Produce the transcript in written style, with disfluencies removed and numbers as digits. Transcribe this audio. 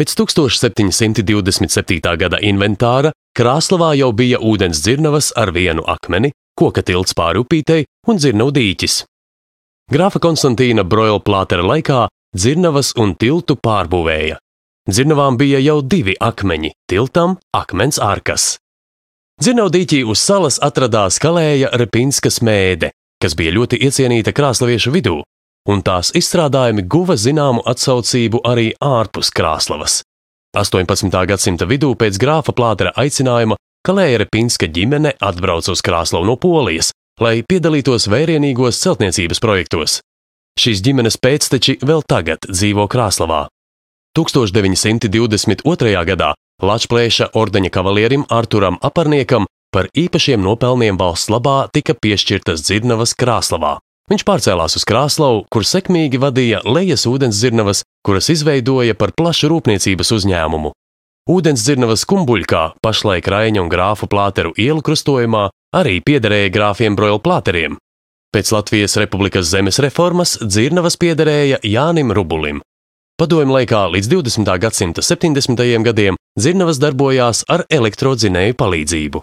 Pēc 1727. gada inventāra Krāslavā jau bija ūdens dzirnavas ar vienu akmeni, koka tilts pāri upītei un dzirnavu dīķis. Grāfa Konstantīna Broilplātera laikā dzirnavas un tiltu pārbūvēja. Dzirnavām bija jau 2 akmeņi, tiltam akmens arkas. Dzirnavu dīķī uz salas atradās Kalēja Repinska smēde, kas bija ļoti iecienīta krāslaviešu vidū, un tās izstrādājumi guva zināmu atsaucību arī ārpus Krāslavas. 18. gadsimta vidū pēc grāfa Plātera aicinājuma Kalēja Repinska ģimene atbrauca uz Krāslavu no Polijas, lai piedalītos vērienīgos celtniecības projektos. Šīs ģimenes pēcteči vēl tagad dzīvo Krāslavā. 1922. gadā Lačplēša ordeņa kavalierim Arturam Aparniekam par īpašiem nopelniem valsts labā tika piešķirtas dzirnavas Krāslavā. Viņš pārcēlās uz Krāslavu, kur sekmīgi vadīja lejas ūdens dzirnavas, kuras izveidoja par plašu rūpniecības uzņēmumu. Ūdens dzirnavas Kumbuļkā, pašlaik Raiņa un Grāfu Plāteru ielu krustojumā, arī piederēja grāfiem Broilplāteriem. Pēc Latvijas Republikas zemes reformas dzirnavas piederēja Jānim Rubulim. Padomju laikā līdz 20. gadsimta 70. gadiem dzirnavas darbojās ar elektrodzinēju palīdzību.